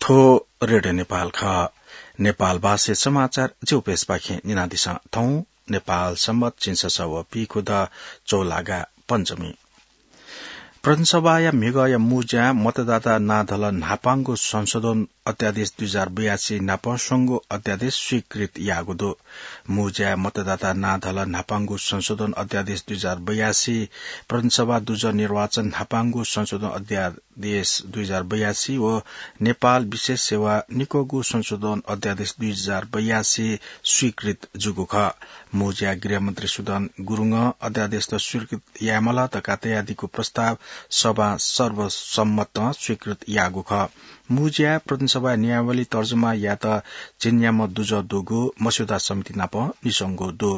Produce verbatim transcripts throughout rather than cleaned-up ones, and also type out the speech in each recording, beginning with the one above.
थ्व रेडियो नेपाल खः। नेपाल भाषाय् समाचार ज्यूपिन्सपाखें न्यनादिसँ। थौं नेपाल संवत् झिंछसः व पीखुदँ चौलागा पञ्चमी। प्रतिनिधि सभाया म्हिगःया मुँज्यां मतदाता नां धलः न्हापांगु संशोधन अध्यादेश दुई हजार बयासी नाप स्वंगू अध्यादेश स्वीकृत याःगु दु। मुँज्यां मतदाता नां धलः न्हापांगु संशोधन अध्यादेश दुई हजार बयासी, प्रतिनिधि सभा दुजः निर्वाचन न्हापांगु संशोधन अध्यादेश दुई हजार बयासी व नेपाल विशेष सेवा निक्वःगु संशोधन अध्यादेश दुई हजार बयासी स्वीकृत जूगु खः। मुँज्यां गृहमन्त्री सुदन गुरुङं अध्यादेशत स्वीकृत यायेमाल धकाः तयादीगु प्रस्ताव सभां सर्वसम्मतं स्वीकृत याःगु खः। मुँज्यां प्रतिनिधि सभाया नियमावली तर्जुमा यायेत झिंन्याम्ह दुजः दुगु मस्यौदा समिति नाप निस्वंगु दु।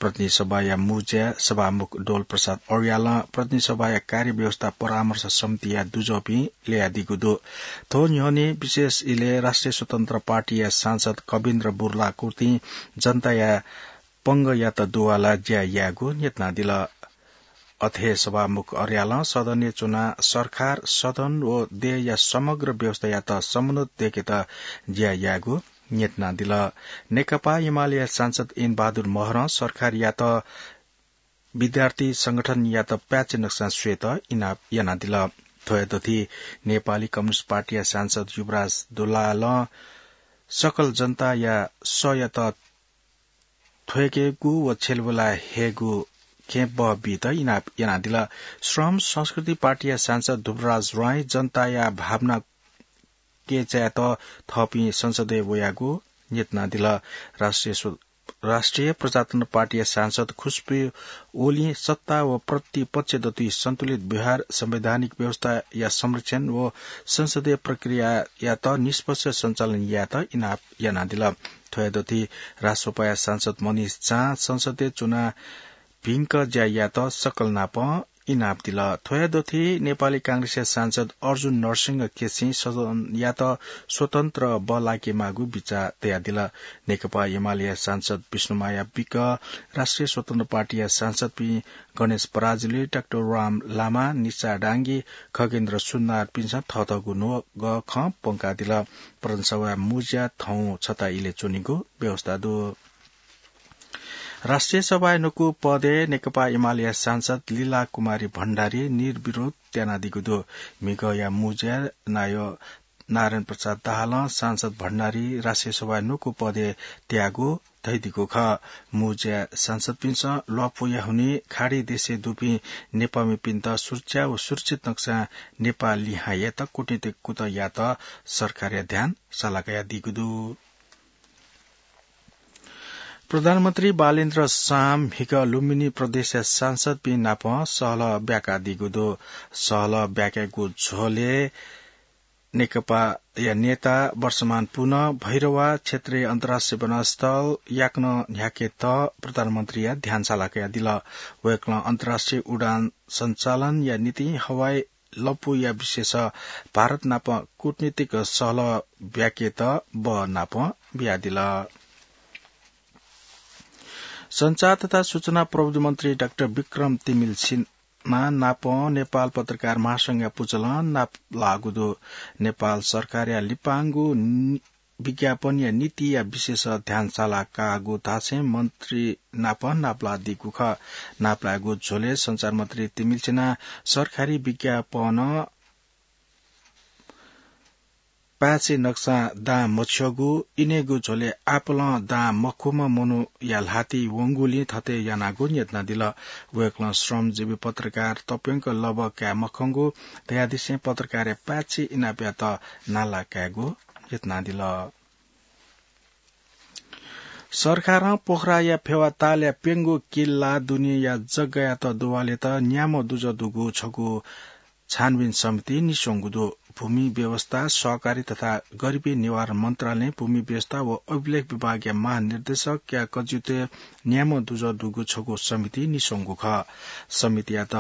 प्रतिनिधि सभाया मुँज्यां सभामुख डोल प्रसाद अर्यालं प्रतिनिधि सभाया कार्यव्यवस्था परामर्श समितिया दुजःपिं ल्ययादीगु दु। थ्व न्ह्यःने विशेष इलय् राष्ट्रिय स्वतन्त्र पार्टीया सांसद कविन्द्र बुर्लाकुर्तिं जनताया पंगःयात दुवालाः ज्या यायेगु न्ह्यथनादिल। अथे सभामुख अर्यालं सदनय् च्वनाः सरकार, सदन व देय्‌या समग्र व्यवस्थायात समुन्नत दय्‌केत ज्या यायेगु न्ह्यथनादिल। नेकपा एमालेया सांसद इन्द्रबहादुर महरं सरकारयात विद्यार्थी संगठनयात पाय्‌छि नक्सां स्वयेत इनाप यानादिल। थ्वया दथुइ नेपाली कम्युनिस्ट पार्टीया सांसद युवराज दुलालं सकल जनताया सःयात थ्वय्‌केगु व छ्यलेबुलाः हयेगु खँय् बः बीत इनाप यानादिल। श्रम संस्कृति पार्टीया सांसद ध्रुवराज राईं जनताया भावना कय्‌चायेत थःपिं संसदय् वयागु न्ह्यथनादिल। राष्ट्रिय स्व-, राष्ट्रिय प्रजातन्त्र पार्टीया सांसद खुशबु ओलीं सत्ता व प्रतिपक्ष दथुइ सन्तुलित व्यवहार, संवैधानिक व्यवस्थाया संरक्षण व संसदीय प्रक्रियायात निष्पक्ष सञ्चालन यायेत इनाप यानादिल। थ्वया दथुइ राजसभाया सांसद मनिष झां संसदय् च्वनाः भिंक ज्या यायेत सकल नाप इनाप दिल। थ्वया दथुइ नेपाली कांग्रेसया सांसद अर्जुन नरसिंह केसीं सदनयात स्वतन्त्र बः लाकेमाःगु बिचाः तयादिल। नेकपा एमालेया सांसद विष्णुमाया विक, राष्ट्रिय स्वतन्त्र पार्टीया सांसदपिं गणेश पराजुली, डाक्टर राम लामा, निशा डाङ्गी, खगेन्द्र सुनारपिन्सं थःथःगु न्वगः खँ प्वंकादिल। प्रदेशसभाया मुँज्या थौं छता इलय् च्वनीगु व्यवस्था दु। राष्ट्रिय सभाया न्वकू पदय् नेकपा एमालेया सांसद लीला कुमारी भण्डारी निर्विरोध त्यानादीगु दु। म्हिगःया मुँज्या नायः नारायण प्रसाद दाहालं सांसद भण्डारी राष्ट्रिय सभाया न्वकू पदय् त्याःगु धयादीगु खः। मुँज्या सांसदपिन्सं ल्वापुया हुनिं खाडी देशय् दुपिं नेपाःमिपिन्त सुरक्षा व सुरक्षित नक्सां नेपाः लिहां यायेत कूटनीतिक कुतः यायेत सरकारया ध्यान सालाकयादीगु दु। प्रधानमन्त्री बालेन्द्र शाहं म्हिगः लुम्बिनी प्रदेशया सांसदपिं नाप सहलह ब्याकादीगु दु। सहलह ब्याकेगु झ्वलय् नेकपाया नेता वर्षमान पुन भैरवा क्षेत्रीय अन्तर्राष्ट्रिय विमानस्थल याकनं न्ह्याकेत प्रधानमन्त्रीया ध्यान सालाकयादिल। वय्‌कलं अन्तर्राष्ट्रिय उडान सञ्चालनया निंतिं हवाई लँपुया विषयस भारत नाप कूटनीतिक सहलह ब्याकेत बः नाप बियादिल। सञ्चार तथा सूचना प्रविधि मन्त्री डाक्टर विक्रम तिमिल सिन्हा नाप नेपाल पत्रकार महासंघया पुचलं नापलाःगु दु। नेपाल सरकारया लिपांगु नि-, विज्ञापनया नीतिया विषयस ध्यान सालाकाःगु धासें मन्त्री नाप नापलादीगु खः। नापलाःगु झ्वलय् सञ्चार मन्त्री तिमिल सिन्हां सरकारी विज्ञापन पाय्‌छि नक्सां दां मछ्यःगु, इनेगु झ्वलय् आपालं दां मखुम्ह मनूया ल्हातिइ वंगुलिं थथे यानागु न्ह्यथनादिल। वय्‌कलं श्रमजीवी पत्रकार तप्यंक लबः काये मखंगु धयादिसें पत्रकारया पाय्‌छि इनापयात नाला कायेगु न्ह्यथनादिल। सरकारं पोखराया फेवा तालया प्यंगू किल्ला दुनेया जग्गायात दुवालेत न्याम्ह दुजः दुगु छगू छानबिन समिति निस्वंगु दु। भूमि व्यवस्था, सहकारी तथा गरिबी निवारण मन्त्रालयं भूमि व्यवस्था व अभिलेख विभागया महानिर्देशकया कजियुतय् न्याम्ह दुजः दुगु छगू समिति निस्वंगु खः। समितियात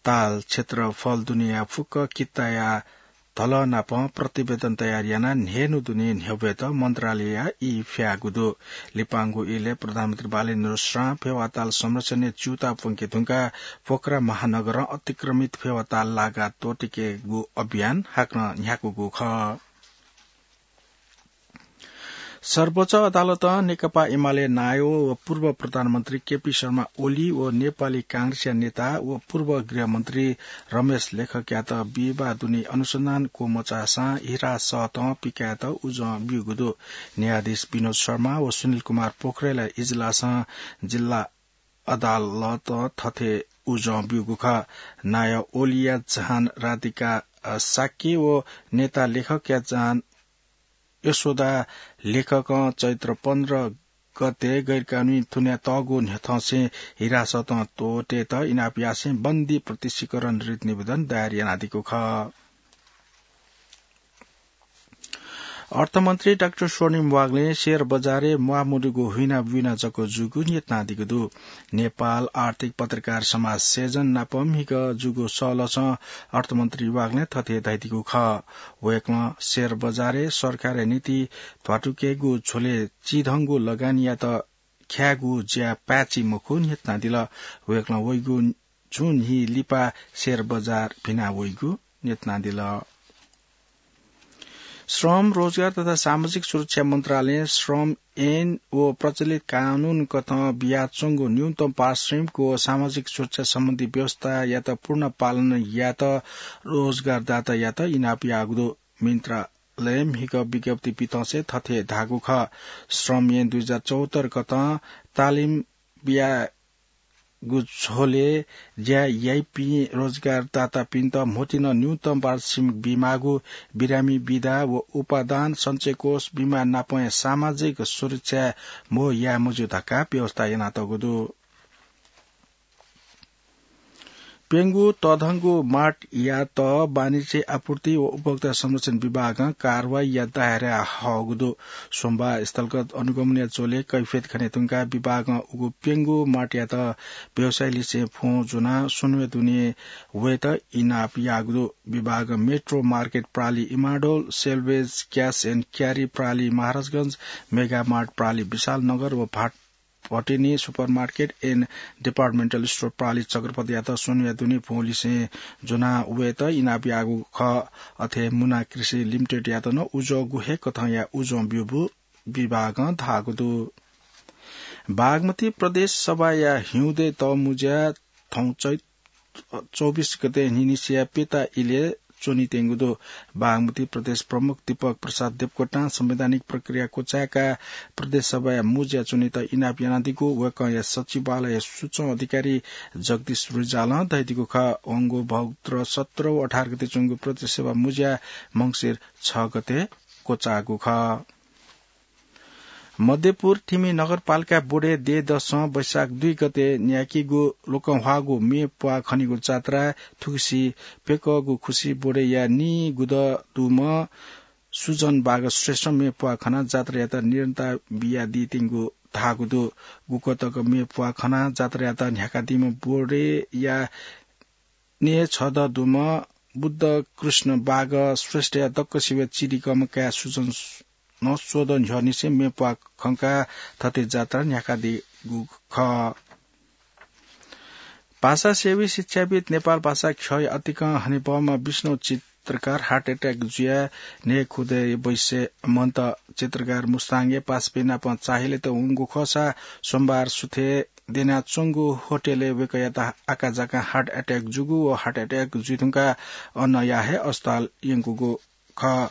ताल क्षेत्रफल दुनेया फुक्क कित्ताया धलः नाप प्रतिवेदन तयार यानाः न्हय्‌न्हु दुने न्ह्यब्वयेत मन्त्रालयया ई फ्याःगु दु। लिपांगु इलय् प्रधानमन्त्री बालेन्द्र शाहं फेवा ताल संरक्षणय् च्यूताः प्वंके धुंकाः पोखरा महानगरं अतिक्रमित फेवा ताल लागा त्वःतेकेगु अभियान हाकनं न्ह्याकूगु खः। सर्वोच्च अदालतं नेकपा एमाले नायः व पूर्व प्रधानमन्त्री केपी शर्मा ओली व नेपाली कांग्रेसया नेता व पूर्व गृहमन्त्री रमेश लेखकयात विवाह दुने अनुसन्धान क्वमचाःसां हिरासतं पिकायेत उजं ब्यूगु दु। न्यायाधीश विनोद शर्मा व सुनिल कुमार पोखरेलया इजलासं जिल्ला अदालतं थथे उजं ब्यूगु खः। नायः ओलीया जहान राधिका, अ, शाक्य व नेता लेखकया जहान यशोदा लेखकं चैत्र पन्ध्र गते गैरकानूनी थुन्यातःगु न्ह्यथंसें हिरासतं त्वःतेत इनाप यासें बन्दी प्रत्यक्षीकरण रिट निवेदन दायर यानादीगु खः। अर्थमन्त्री डाक्टर स्वर्णिम वाग्लें शेयर बजारय् म्वाःमदुगु हुइना बुइना जक जूगु न्यनादीगु दु। नेपाल आर्थिक पत्रकार समाज सेजन नाप म्हिगः जूगु सःलसं अर्थमन्त्री वाग्लें थथे धयादीगु खः। वय्कलं शेयर बजारय् सरकारया नीति ध्वाथुइकेगु झ्वलय् चिधंगु लगानीयात ख्यायेगु ज्या पाय्छि मखु न्यनादिल। वय्कलं वइगु छुं न्हि लिपा शेयर बजार भिना वइगु न्यनादिल। श्रम, रोजगार तथा सामाजिक सुरक्षा मन्त्रालयं श्रम ऐन व प्रचलित कानून कथं बियाच्वंगु न्यूनतम पारिश्रमिक व सामाजिक सुरक्षा सम्बन्धी व्यवस्थायात पूर्ण पालन यायेत रोजगारदातायात इनाप याःगु दु। मन्त्रालयं म्हिगः विज्ञप्ति पिथंसे थथे धाःगु खः। श्रम ऐन दुई हजार चौहत्तर कथं तालिम बिया गु झ्वलय् ज्या याइपिं रोजगारदातापिन्त म्होतिं न्यूनतम पारिश्रमिक बीमाःगु बिरामी बिदा व उपादान सञ्चयकोष बीमा नापं सामाजिक सुरक्षा म्हो याये मज्यू धकाः व्यवस्था यानातःगु दु। प्यंगू तःधंगु मार्टयात वाणिज्य आपूर्ति व उपभोक्ता संरक्षण विभागं कारवाहीया दायराय् हःगु दु। सोमबार स्थलगत अनुगमनया झ्वलय् कैफियत खने धुंकाः विभागं उगु प्यंगू मार्टयात व्यवसायीलिसें फोन ज्वनाः स्वन्हु दुने वयेत इनाप याःगु दु। विभागं मेट्रो मार्केट प्रालि इमाडोल, सेल्वेज क्यास एन्ड क्यारी प्रालि महाराजगंज, मेगा मार्ट प्रालि विशालनगर व भाट भटिनी सुपरमार्केट एन्ड डिपार्टमेन्टल स्टोर प्रालि चक्रपथयात स्वन्हुया दुने फोनलिसें ज्वना वयेत इनाप याःगु खः। अथे मुना कृषि लिमिटेडयात नं उजं गुहे कथंया उजं ब्यूगु विभागं धाःगु दु। बागमती प्रदेश सभाया हिउँदे तःमुँज्या थौं चैत चौबिस गते न्हिनिसिया प्यता इलय् च्वनीत्यंगु दु। बागमती प्रदेश प्रमुख दीपक प्रसाद देवकोटां संवैधानिक प्रक्रिया क्वचाय्काः प्रदेश सभाया मुँज्या च्वनेत इनाप यानादीगु वय्कःया सचिवालय सूचना अधिकारी जगदीश रिजालं धयादीगु खः। वंगु भौगुत्र सत्र व अठार गते च्वंगु प्रदेश सभा मुँज्या मंसिर छ गते क्वचाःगु खः। मध्यपुर थिमि नगरपालिका बोडे देय् दसं वैशाख दुई गते न्याकीगु लोकंह्वाःगु मे प्वाः खनीगु जात्राय् थुगुसी प्यकःगु खुसी बोडेया नीगुदँ दुम्ह सुजन बाग श्रेष्ठं मे प्वाः खनाः जात्रायात निरन्तर बियादीत्यंगु धाःगु दु। गुकथं मे प्वाः खनाः जात्रायात न्ह्याकादीम्ह बोडेया नीछदँ दुम्ह बुद्ध कृष्ण बाग श्रेष्ठया दक्वसिबय् चिधिकःम्ह काय् सुजनं स्वदँ न्ह्यःनिसें मे प्वाः खंकाः थथे जात्रा न्ह्याकादीगु खः। भाषासेवी शिक्षाविद् नेपाल भाषा ख्यःया अतिकं हनेबहःम्ह विष्णु चित्रकार heart attack जुयाः न्हय्खुदँय् बैसय् मन्त। चित्रकार मुस्ताङया पासापिं नाप चाःहिलेत वंगु खःसा सोमबार सुथय् द्यनाच्वंगु होटलय् वय्कःयात आकाझाकां heart attack जूगु व heart attack जुइधुंकाः अनया हे अस्पताल यंकूगु खः।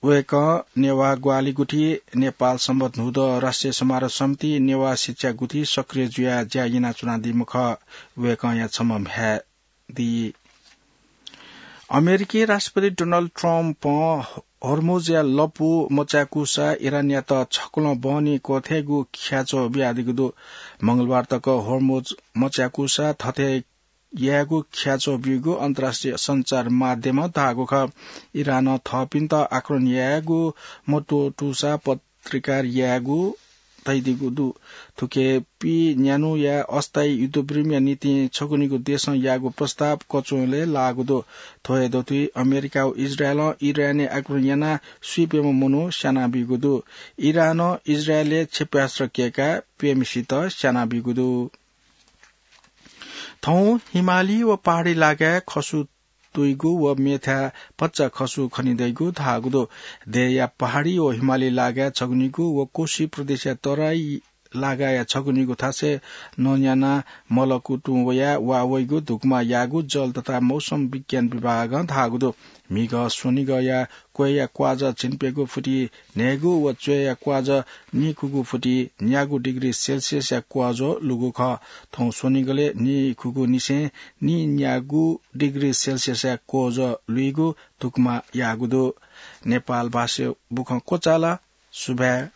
वय्कः नेवाः ग्वाहालि गुथि, नेपाल संवत् न्हूदँ राष्ट्रिय समारोह समिति, नेवाः शिक्षा गुथि सक्रिय जुयाः ज्या यानाच्वनादीम्ह खः। वय्कःया छम्ह म्ह्याय् दी। अमेरिकी राष्ट्रपति डोनाल्ड ट्रम्पं होर्मुजया लँपु मचाय्कूसा इरानयात छकलं बहनी क्वथयेगु ख्याच्वः बियादीगु दु। मंगलबार तक होर्मुज मचाय्कूसा थथे यायेगु ख्याच्वः ब्यूगु अन्तर्राष्ट्रिय सञ्चार माध्यमं धाःगु खः। इरानं थःपिन्त आक्रमण यायेगु मत्वःतूसा पत्रिकार यायेगु धयादीगु दु। थुकी पीन्यान्हुया अस्थायी युद्धविरामया निंतिं छगू निगू देशं याःगु प्रस्ताव कचुंलय् लाःगु दु। थ्व हे दथुइ अमेरिका व इजरायलं इरानय् आक्रमण यानाः स्वीप्यम्ह मनू स्यानाबीगु दु। इरानं इजरायलय् क्षेप्यास्त्र कय्काः प्यम्हेसित स्यानाबीगु दु। थौं हिमाली व पहाडी इलाकाय् खसु तुइगु व मेथाय् भचा खसु खने दइगु धाःगु दु। देय्‌या पहाडी व हिमाली लागाय् छगुनिगु व कोशी प्रदेशया तराई लागाय् छगुनिगु थासय् नन्यानाः मलकु तुं वयाः वा वइगु धुकुमा याःगु जल तथा मौसम विज्ञान विभागं धाःगु दु। म्हिगः स्वनिगःया क्वय्‌या क्वाजः झिंप्यंगू फुति न्हय्‌गू व च्वय्‌या क्वाजः नीखुगू फुति न्यागू डिग्री सेल्सियसया क्वजः लुगु खः। थौं स्वनिगलय् नीखुगू निसें नीन्यागू डिग्री सेल्सियसया क्वजः लुइगु धुकुमा याःगु दु। नेपाल भाषा बुखँ क्वचाल। सुभाय्।